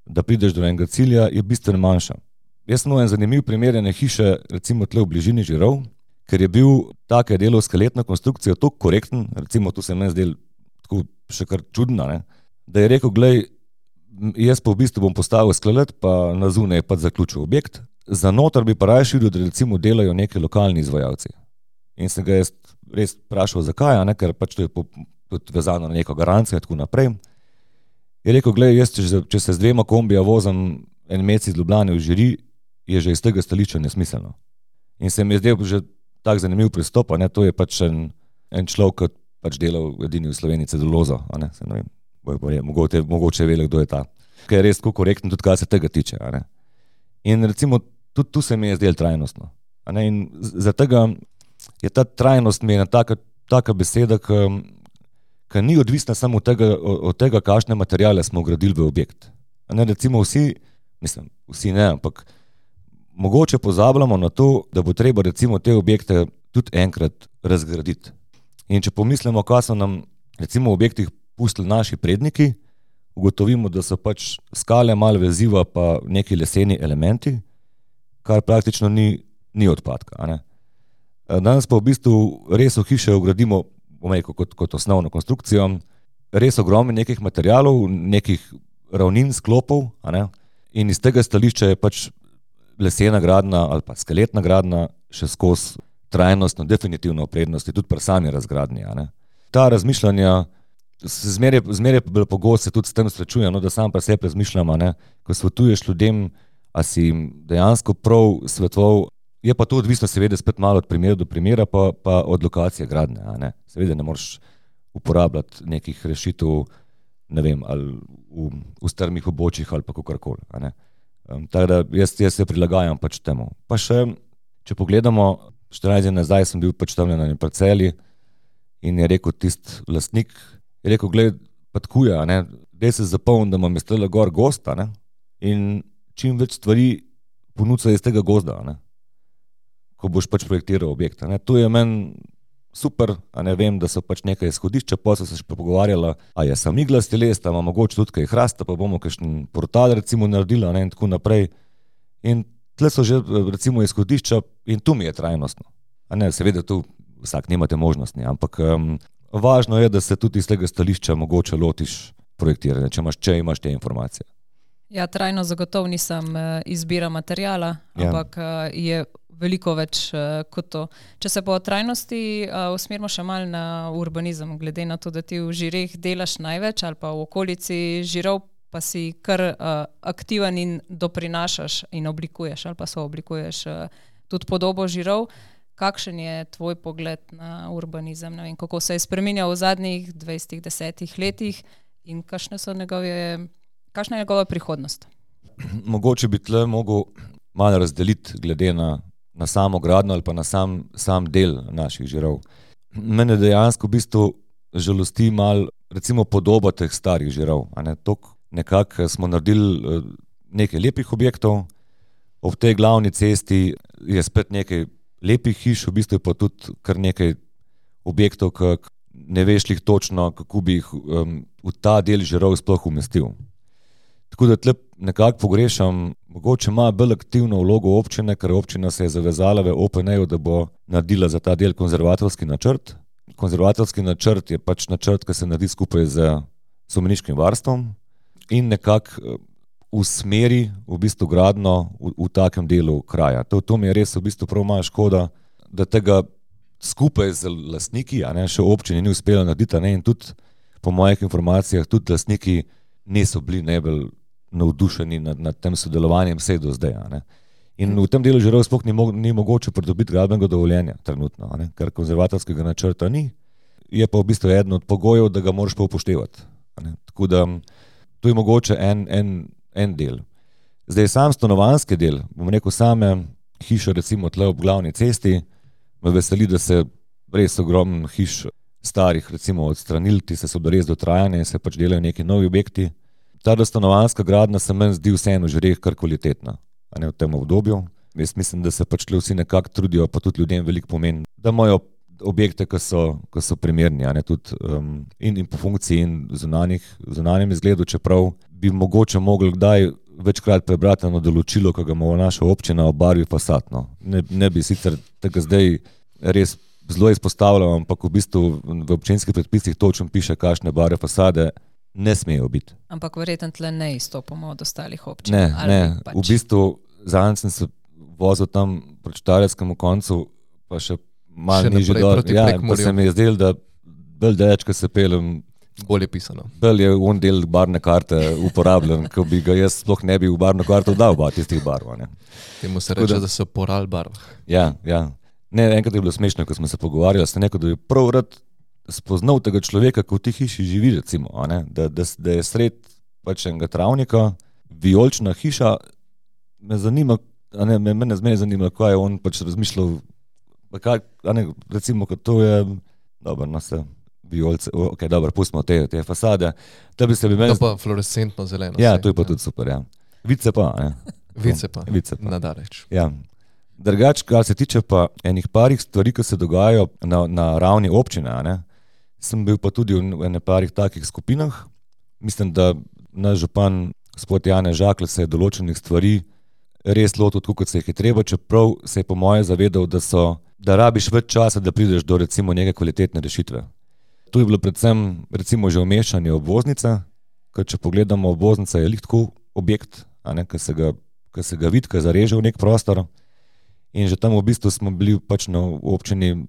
da prideš do enega cilja, je bistveno manjša. Jaz sem en zanimiv primer ene hiše, recimo tle v bližini Žirov, ker je bil take delo skeletna konstrukcija toliko korekten, recimo tu se meni zdel tako še kar čudna, ne, da je rekel, glej, jaz pa v bistvu bom postavil skelet, pa na zunaj pa zaključil objekt, za noter bi pa raje širil, da recimo delajo neki lokalni izvajalci. In sem ga jaz res vprašal, zakaj, a ne, ker pač to je tudi vezano na neko garancijo in tako naprej. Je rekel, glej, jaz če, če se z dvema kombija vozim en mesec iz Ljubljane v Žiri, je že iz tega stališča nesmiselno. In se mi je zdel že tak zanimiv pristop, a ne, to je pač en, en človek, ki pač delal edini v Sloveniji celulozo, a ne, se ne vem, mogoče, mogoče vele, kdo je ta. Ker je res tako korekten tudi, kar se tega tiče, a ne. In recimo, tudi tu se mi je zdel trajnostno. A ne, in zaradi tega je ta trajnost mi ena taka, taka beseda, ki ni odvisna samo od tega, od tega, kakšne materiale smo vgradili v objekt. A ne, recimo vsi, mislim, vsi ne, ampak mogoče pozabljamo na to, da bo treba recimo te objekte tudi enkrat razgraditi. In če pomislimo, kaj so nam recimo v objektih pustili naši predniki, ugotovimo, da so pač skale, malo veziva pa neki leseni elementi, kar praktično ni, ni odpadka. A ne? Danes pa v bistvu res v hiše vgradimo kot, kot osnovno konstrukcijo, res ogromno nekih materialov, nekih ravnin, sklopov, a ne? In iz tega stališča je pač lesena gradnja ali pa skeletna gradnja še skozi trajnostno, definitivno prednosti, tudi pri sami razgradnji. A ne? Ta razmišljanja zmeraj, zmeraj bolj pogosto se tudi s tem srečujem, no, da sam pri sebi razmišljam, a ne? Ko svetuješ ljudem, a si jim dejansko prav svetoval, je pa to odvisno seveda spet malo od primera do primera, pa, pa od lokacije gradnje. A ne? Seveda ne moreš uporabljati nekih rešitev, ne vem, ali v, v strmih obočjih ali pa kakorkoli. A ne? Um, tako da jaz, jaz se prilagajam pač temu. Pa še, če pogledamo, štirinajst dni nazaj sem bil pač tam na eni parceli in je rekel tisti lastnik, je rekel, gled, pa tkuje, a ne, dej se zapomni, da imam iz tega gor gozd, a ne, in čim več stvari ponuca iz tega gozda, a ne, ko boš pač projektiral objekt, a ne. To je meni super, a ne, vem, da so pač nekaj izhodišča, pa so se še pogovarjala, a je sam iglasti les, a ima mogoče tudi kaj hrasta, pa bomo kakšen portal recimo naredili, a ne, in tako naprej. In tle so že recimo izhodišča in tu mi je trajnostno. A ne, seveda tu vsak nimate možnosti, ampak um, važno je, da se tudi iz tega stališča mogoče lotiš projektiranja, če imaš, če imaš te informacije. Ja, trajno zagotovo nisem izbira materijala, ja. Ampak je veliko več kot to. Če se po trajnosti usmerimo še malo na urbanizem, glede na to, da ti v žireh delaš največ ali pa v okolici žirov, pa si kar uh, aktiven in doprinašaš in oblikuješ ali pa sooblikuješ uh, tudi podobo žirov. Kakšen je tvoj pogled na urbanizem? Ne vem, kako se je spreminjal v zadnjih dvajsetih, desetih letih in kakšne so njegove, kakšna je njegova prihodnost? Mogoče bi tle mogel malo razdeliti glede na, na samo gradnjo ali pa na sam, sam del naših žirov. Mene dejansko v bistvu žalosti malo recimo podoba teh starih žirov, a ne, tok nekako smo naredili nekaj lepih objektov, ob tej glavni cesti je spet nekaj lepih hiš, v bistvu je pa tudi kar nekaj objektov, ki ne veš jih točno, kako bi jih um, v ta del žirov sploh umestil. Tako da tle nekako pogrešam, mogoče ima bolj aktivno vlogo občine, ker občina se je zavezala v O P N-ju, da bo naredila za ta del konzervatorski načrt. Konzervatorski načrt je pač načrt, ki se naredi skupaj z spomeniškim varstvom in nekako usmeri v bistvu gradno v, v takem delu kraja. To, to mi je res v bistvu prav malo škoda, da tega skupaj z lastniki, a ne, še občini ni uspela narediti, a ne, in tudi po mojih informacijah tudi lastniki niso bili najbolj navdušeni nad, nad tem sodelovanjem vse do zdaj. A ne. In v tem delu žirov sploh ni, mo- ni mogoče pridobiti gradbenega dovoljenja trenutno, a ne, ker konzervatorskega načrta ni, je pa v bistvu eden od pogojev, da ga moraš pa upoštevati. A ne. Tako da to je mogoče en, en, en del. Zdaj sam stanovanjski del, bom rekel same hiše recimo tle ob glavni cesti, me veseli, da se res ogromno hiš starih recimo odstranili, ti se so res dotrajane in se pač delajo neki novi objekti. Ta stanovanjska gradnja se meni zdi vseeno že res kar kvalitetna, a ne v tem obdobju. Jaz mislim, da se pač vsi nekako trudijo, pa tudi ljudem veliko pomeni, da imajo objekte, ki so, ki so primerni, a ne, tudi um, in, in po funkciji in zunanjih, zunanjem izgledu, čeprav bi mogoče mogli kdaj večkrat prebrati na določilo, ki ga ima naša občina o barvi fasad. No. Ne, ne bi sicer tega zdaj res zelo izpostavljal, ampak v bistvu v občinskih predpisih točno piše, kakšne barve fasade ne smejo biti. Ampak verjetno tle ne izstopamo od ostalih občin. Ne, ne. Pač. V bistvu zadnjič sem se vozil tam proti Štajerskemu koncu, pa še malo nižje dol. Ja, pa se mi je zdelo, da bolj daleč, ko se pelem, bolje pisano. Bolj je on del barvne karte uporabljen, ko bi ga jaz sploh ne bi v barvno karto dal ba tistih barv. Ne. Temu se reče, da, da so poral barv. Ja, ja. Ne, enkrat je bilo smešno, ko smo se pogovarjali, sem rekel, da bi prav rad spoznal tega človeka, ko v tih hiši živi, recimo, a ne, da, da, da je sred pač enega travnika, vijolična hiša, me zanima, a ne, me, mene zmeraj zanimalo, kaj je on pač razmišljal, pa kaj, a ne, recimo, kot to je, dobro, no se, vijolce, ok, dobro, pustimo te, te fasade, da bi se bi meni... To pa fluorescentno zeleno. Ja, vse, to je pa ja. tudi super, ja. Vice pa, ne. Vice pa, Vice pa. nadaleč. Ja. Drugač, kar se tiče pa enih parih stvari, ki se dogajajo na, na ravni občine, a ne, sem bil pa tudi v ene parih takih skupinah. Mislim, da naš župan, gospod Janez Žakelj, se je določenih stvari res lotil tako, kot se jih je treba, čeprav se je po moje zavedal, da, so, da rabiš več časa, da prideš do recimo neke kvalitetne rešitve. Tu je bilo predvsem recimo že umeščanje obvoznice, ker če pogledamo, obvoznica je lik tako objekt, a ne, ki se ga, ki se ga vidi, ki zareže v nek prostor. In že tam v bistvu smo bili pač na občini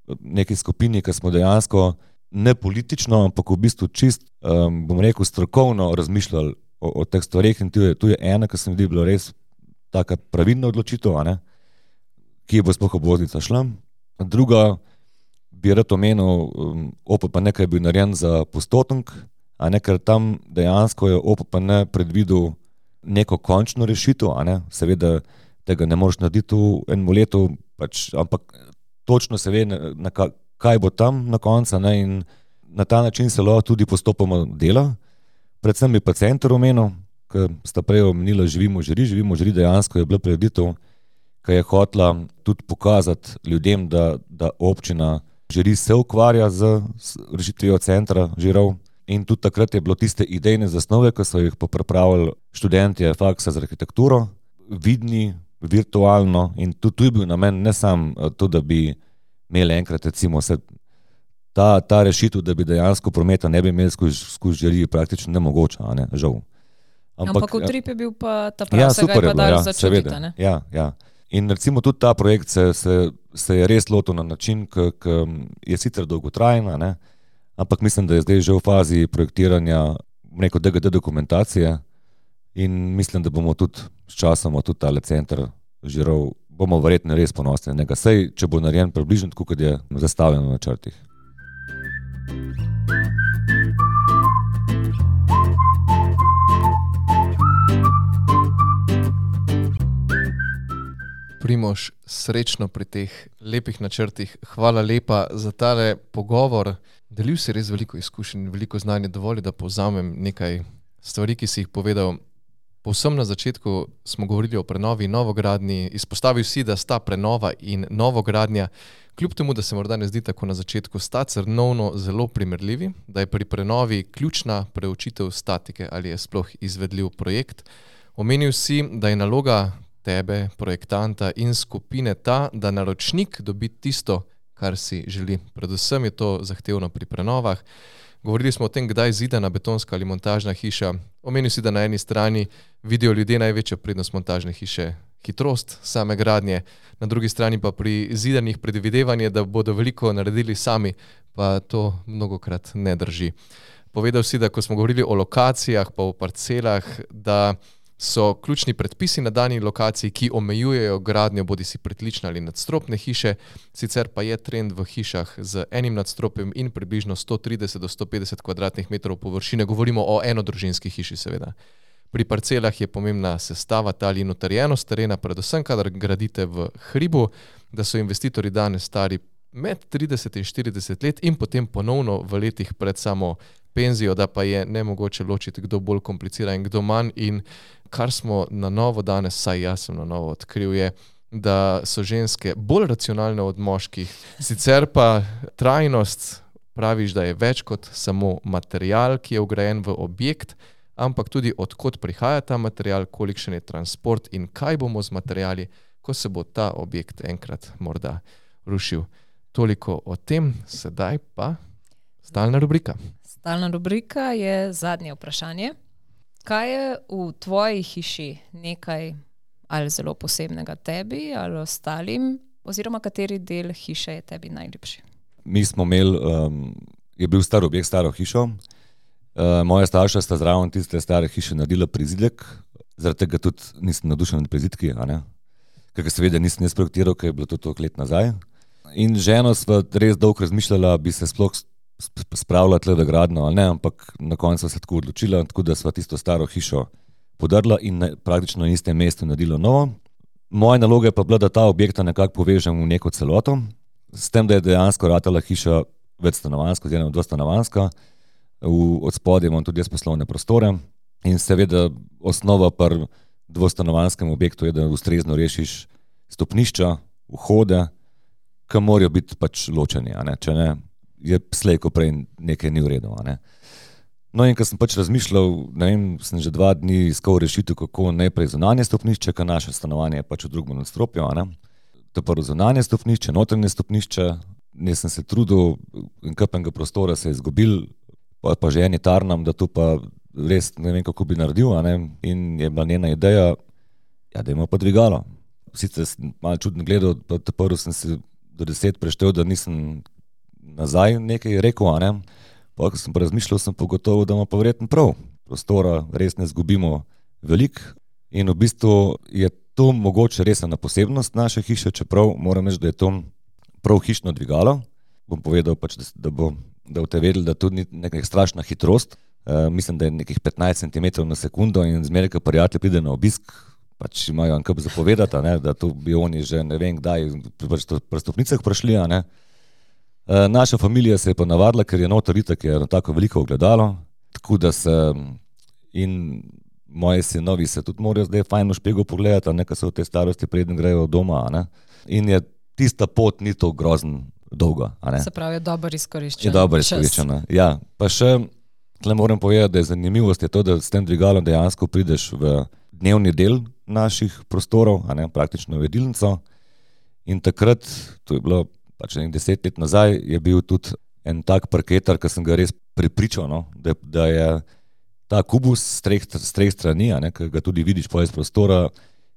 neki skupini, ki smo dejansko ne politično, ampak v bistvu čist, um, bom rekel, strokovno razmišljali o, o teh stvareh in tu je, tu je ena, ki se mi zdi bila res taka pravilna odločitev, a ne, ki bo sploh obvoznica šla. Druga bi rad omenil, um, O P P N, ki je bil narejen za Postotenk, a ne, ker tam dejansko je O P P N predvidel neko končno rešitev, a ne, seveda tega ne moreš narediti v enem letu, pač, ampak točno se ve, na, na kaj bo tam na koncu, ne, in na ta način se lahko tudi postopoma dela. Predvsem bi pa center omenil, ki sta prej omenila Živimo žiri, Živimo žiri dejansko je bila prireditev, ki je hotela tudi pokazati ljudem, da, da občina žiri se ukvarja z rešitvijo centra žirov. In tudi takrat je bilo tiste idejne zasnove, ki so jih popravili študentje faksa za arhitekturo, vidni, virtualno, in tudi tu je bil namen ne sam to, da bi imeli enkrat recimo se ta, ta rešitev, da bi dejansko prometa ne bi imeli skozi skozi žiri, praktično nemogoča, a ne, žal. Ampak, Ampak utrip je bil pa ta prav, ja, se ga je pa dal ja, začutiti, ne? Ja, ja. In recimo tudi ta projekt se, se, se je res lotil na način, ki je sicer dolgotrajen, ne, ampak mislim, da je zdaj že v fazi projektiranja neko D G D dokumentacije in mislim, da bomo tudi s časom tudi tale center žirov, bomo verjetno res ponosni na njega. Sej, če bo narejen približno tako, kot je zastavljeno na načrtih. Primož, srečno pri teh lepih načrtih. Hvala lepa za tale pogovor. Delil si res veliko izkušenj, veliko znanja, dovolj, da povzamem nekaj stvari, ki si jih povedal. Povsem na začetku smo govorili o prenovi in novogradnji. Izpostavil si, da sta prenova in novogradnja, kljub temu, da se morda ne zdi tako na začetku, sta cenovno zelo primerljivi, da je pri prenovi ključna preučitev statike, ali je sploh izvedljiv projekt. Omenil si, da je naloga tebe, projektanta in skupine ta, da naročnik dobi tisto, kar si želi. Predvsem je to zahtevno pri prenovah. Govorili smo o tem, kdaj zidana betonska ali montažna hiša. Omenil si, da na eni strani vidijo ljudje največjo prednost montažne hiše, hitrost same gradnje, na drugi strani pa pri zidanih predvidevanje, da bodo veliko naredili sami, pa to mnogokrat ne drži. Povedal si, da ko smo govorili o lokacijah pa o parcelah, da so ključni predpisi na dani lokaciji, ki omejujejo gradnjo bodisi pritlične ali nadstropne hiše, sicer pa je trend v hišah z enim nadstropjem in približno sto trideset do sto petdeset kvadratnih metrov površine, govorimo o enodružinski hiši seveda. Pri parcelah je pomembna sestava tal in utrjenost terena, predvsem kadar gradite v hribu, da so investitorji danes stari med trideset in štirideset let in potem ponovno v letih pred samo penzijo, da pa je nemogoče ločiti, kdo bolj komplicira in kdo manj. In kar smo na novo danes, saj jaz sem na novo odkril, je, da so ženske bolj racionalne od moških. Sicer pa trajnost, praviš, da je več kot samo material, ki je vgrajen v objekt, ampak tudi odkot prihaja ta material, kolikšen je transport in kaj bomo z materiali, ko se bo ta objekt enkrat morda rušil. Toliko o tem, sedaj pa stalna rubrika. Stalna rubrika je zadnje vprašanje. Kaj je v tvoji hiši nekaj ali zelo posebnega tebi ali ostalim, oziroma kateri del hiše je tebi najljubši? Mi smo imeli, um, je bil star objekt, staro hišo. Uh, moja starša sta zraven tiste stare hiše naredila prizidek, zaradi tega tudi nisem navdušen nad prizidki, a ne? Ker seveda nisem jaz projektiral, ker je bilo to toliko let nazaj. In ženo sva res dolgo razmišljala, bi se sploh spravila tle v gradnjo ali ne, ampak na koncu se tako odločila, tako da sva tisto staro hišo podrla in na, praktično na istem mestu naredila novo. Moja naloga je pa bila, da ta objekta nekako povežem v neko celoto, s tem, da je dejansko ratala hiša večstanovanjska, oziroma dvostanovanjska. V odspodje imam tudi jaz poslovne prostore in seveda osnova pri dvostanovanjskem objektu je, da ustrezno rešiš stopnišča, vhode, ki morajo biti pač ločeni, a ne? Če ne, je slej, ko prej nekaj ni v redu. A ne? No in ko sem pač razmišljal, ne vem, sem že dva dni iskal rešitev, kako najprej zunanje stopnišče, ker naše stanovanje je pač v drugem nadstropju, a ne? To prvo zunanje stopnišče, notranje stopnišče, nisem se trudil, in kapenega prostora se je izgubil, pa, pa že eni tarnam, da to pa res ne vem, kako bi naredil, a ne? In je bila njena ideja, ja, da ima pa dvigalo. Sicer sem malo čudno gledal, pa prvo sem se do deset preštel, da nisem nazaj nekaj rekel, a ne? Pa ko sem pa razmišljal, sem pogotovo, da ima pa verjetno prav. Prostora res ne zgubimo veliko in v bistvu je to mogoče res ena posebnost naše hiše, čeprav moram reči, da je to prav hišno dvigalo. Bom povedal pač, da bo da boste vedeli, da to ni neka strašna hitrost. E, mislim, da je nekih petnajst centimetrov na sekundo in zmeraj, ko prijatelj pride na obisk, pač imajo ankap zapovedati, ne, da to bi oni že ne vem kdaj pri stopnicah prišli. Ne. E, naša familija se je pa navadila, ker je noter itak je tako veliko ogledalo, tako da se in moji sinovi se tudi morajo zdaj fajn v špegel pogledati, ne, ko so v tej starosti preden grejo doma. Ne. In je tista pot ni to grozno dolga. Se pravi, je dobro izkoriščena. Je dobro izkoriščena, ja. Pa še, tle moram povedati, da je zanimivost je to, da s tem dvigalom dejansko prideš v dnevni del naših prostorov, a ne, praktično v jedilnico. In takrat, to je bilo pač nekaj deset let nazaj, je bil tudi en tak parketar, ki sem ga res prepričal, no, da, da je ta kubus s treh, s treh strani, a ne, ki ga tudi vidiš po iz prostora,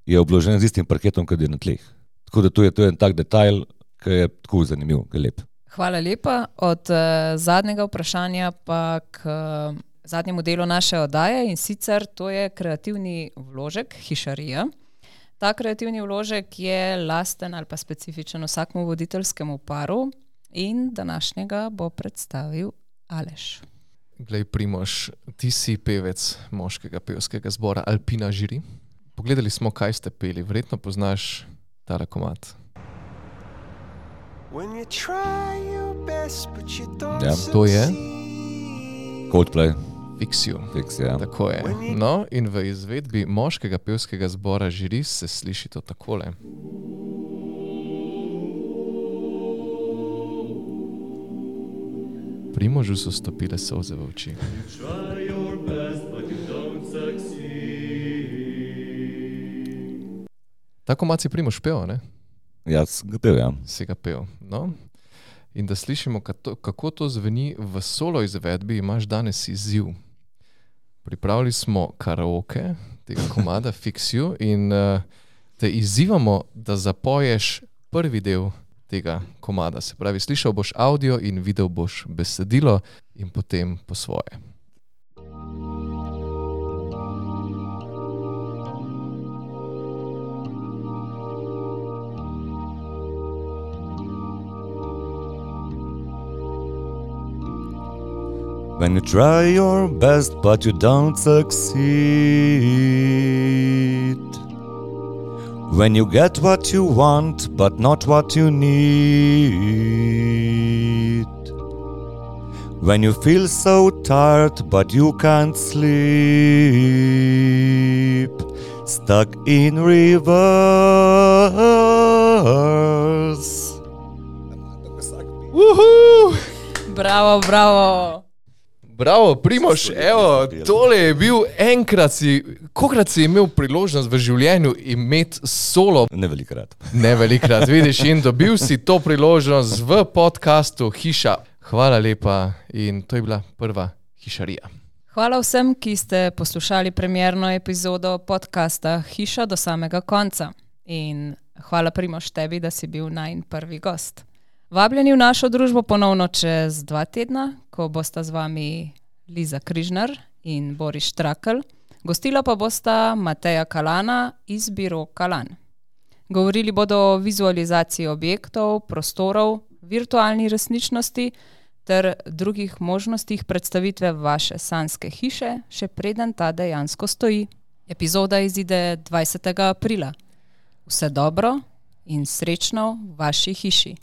je obložen z istim parketom, kot je na tleh. Tako da to je, to je en tak detajl, ki je tako zanimiv, ki je lep. Hvala lepa. Od uh, zadnjega vprašanja pa k uh, zadnjemu delu naše oddaje in sicer to je kreativni vložek, hišarija. Ta kreativni vložek je lasten ali pa specifičen vsakmu voditeljskemu paru in današnjega bo predstavil Aleš. Glej, Primož, ti si pevec moškega pevskega zbora Alpina Žiri. Pogledali smo, kaj ste peli. Verjetno poznaš tale komad. Ja, to je Coldplay. Fix You. Fix, ja. Tako je. No, in v izvedbi moškega pevskega zbora Žiri se sliši to takole. Primožu so stopile solze v oči. Ta komad si Primož pel, ne? Ja, sem ga pel, ja. Si ga pel, no. In da slišimo, kako to zveni v solo izvedbi, imaš danes izziv. Pripravili smo karaoke tega komada Fix You in uh, te izzivamo, da zapoješ prvi del tega komada. Se pravi, slišal boš audio in videl boš besedilo in potem po svoje. When you try your best but you don't succeed, when you get what you want but not what you need, when you feel so tired but you can't sleep, stuck in reverse. Uhu! Bravo, bravo. Bravo, Primož, evo, tole je bil enkrat si, kolikrat si imel priložnost v življenju imeti solo? Ne velikrat. Ne velikrat, vidiš, in dobil si to priložnost v podcastu Hiša. Hvala lepa in to je bila prva hišarija. Hvala vsem, ki ste poslušali premierno epizodo podcasta Hiša do samega konca. In hvala Primož tebi, da si bil najin prvi gost. Vabljeni v našo družbo ponovno čez dva tedna, ko bosta z vami Liza Križnar in Boris Štrakl. Gostila pa bosta Mateja Kalana iz Biro Kalan. Govorili bodo o vizualizaciji objektov, prostorov, virtualni resničnosti ter drugih možnostih predstavitve vaše sanjske hiše, še preden ta dejansko stoji. Epizoda izide dvajsetega aprila. Vse dobro in srečno v vaši hiši.